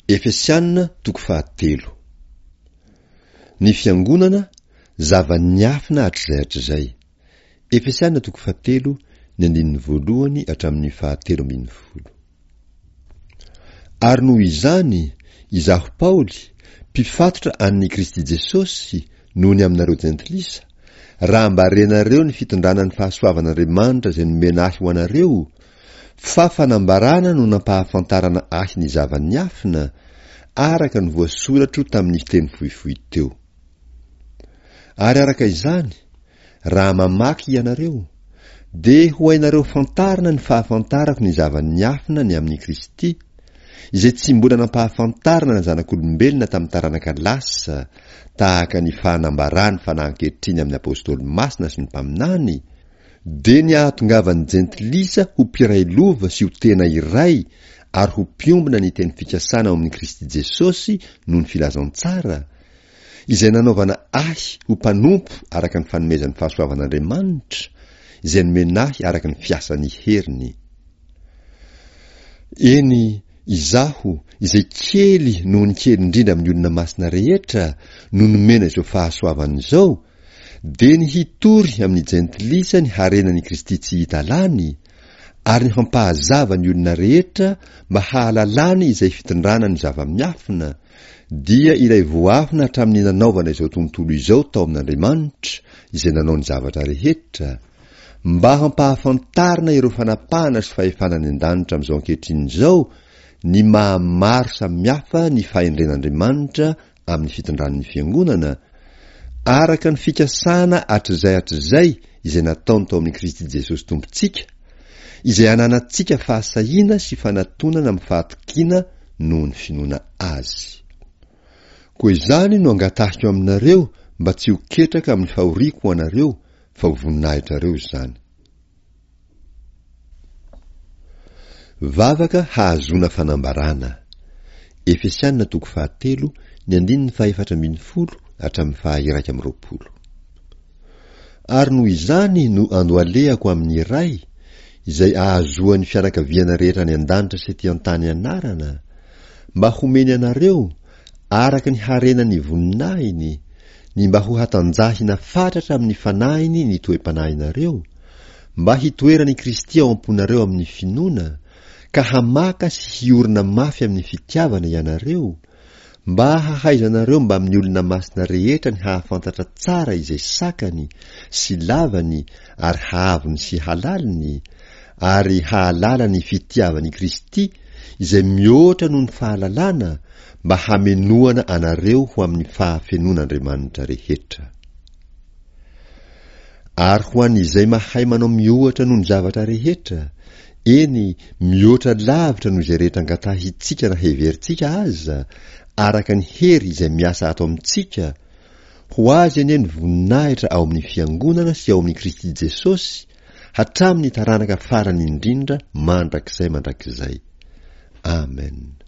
Efesiana toko fahatelo. Ny Fiangonana, zava-niafina hatrizay hatrizay. Efesiana toko fahatelo, ny andininy voalohany hatramin'ny fahatelo ambinifolo. Ary noho izany, izaho Paoly, mpifatotra an'i Kristy Jesosy noho ny aminareo jentilisa, raha mba renareo ny fitondrana ny fahasoavan'Andriamanitra izay nomena ahy ho anareo, fa fanambarana no nampahafantarana ahy ny zava-niafina, araka ny voasoratro tamin'ny teny fohifohy teo. Ary araka izany, Raha mamaky ianareo, dia ho hainareo fantarina ny fahafantarako ny zava-niafina ny amin'i Kristy, izay tsy mbola nampahafantarina ny zanak'olombelona tamin'ny taranaka lasa, tahaka ny fahanambarany fanahy ankehitriny amin'ny Apostoly masina sy ny mpaminany, dia ny hahatongavan'ny Jentilisa ho mpiray lova sy ho tena iray ary ho mpiombona ny teny fikasana ao amin'i Kristy Jesosy noho ny filazantsara, izay nanaovana ahy ho mpanompo araka ny fanomezan'ny fahasoavan'Andriamanitra, izay nomena ahy araka ny fiasan'ny heriny. Eny, izaho, izay kely noho ny kely indrindra amin'ny olona masina rehetra, no nomena izao fahasoavana izao, dia ny hitory amin'ny jentilisa ny harenan'i Kristy tsy hita lany, ary ny hampahazava ny olona rehetra mba hahalalany izay fitondrana ny zava-miafina, dia ilay voafina hatramin'ny nanaovana izao tontolo izao tao amin'Andriamanitra izay nanao ny zavatra rehetra, mba hampahafantarina ireo fanapahana sy fahefana any an-danitra amin'izao ankehitriny izao ny maha maro samihafa ny fahendren'Andriamanitra amin'ny fitondran'ny Fiangonana, araka ny fikasana hatrizay hatrizay izay nataony tao amin'i Kristy Jesosy Tompontsika, izay ananantsika fahasahiana sy fanatonana amin'ny fahatokiana noho ny finoana Azy. Koa izany no angatahiko aminareo mba tsy ho ketraka amin'ny fahoriako ho anareo fa ho voninahitrareo izany. Vavaka hahazoana fanambarana. Efesiana toko fahatelo, ny andininy fahefatra ambinifolo hatramin'ny faha-21. Ary noho izany no andohalehako amin'ny Ray, izay ahazoan'ny fianakaviana rehetra any an-danitra sy ety an-tany anarana, mba homeny anareo, araka ny harenan'ny voninahiny, ny mba ho hatanjahina fatratra amin'ny fanahiny ny toe-panahinareo, mba hitoeran'i Kristy ao am-ponareo amin'ny finoana, ka hamaka sy hiorina mafy amin'ny fitiavana ianareo, Mba hahaizanareo mbamin'ny olona masina rehetra ny hahafantatra tsara izay sakany sy lavany ary haavony sy halaliny, ary hahalala ny fitiavan'i Kristy izay mihoatra noho ny fahalalana, mba hamenoana anareo ho amin'ny fahafenoan'Andriamanitra rehetra. Ary ho an'izay mahay manao miohatra noho ny zavatra rehetra, eny, mihoatra lavitra noho izay rehetra angatahintsika na heverintsika aza, araka ny hery izay miasa ato amintsika, ho Azy anie ny voninahitra ao amin'ny Fiangonana sy ao amin'i Kristy Jesosy, hatramin'ny taranaka farany indrindra mandrakizay mandrakizay. Amen.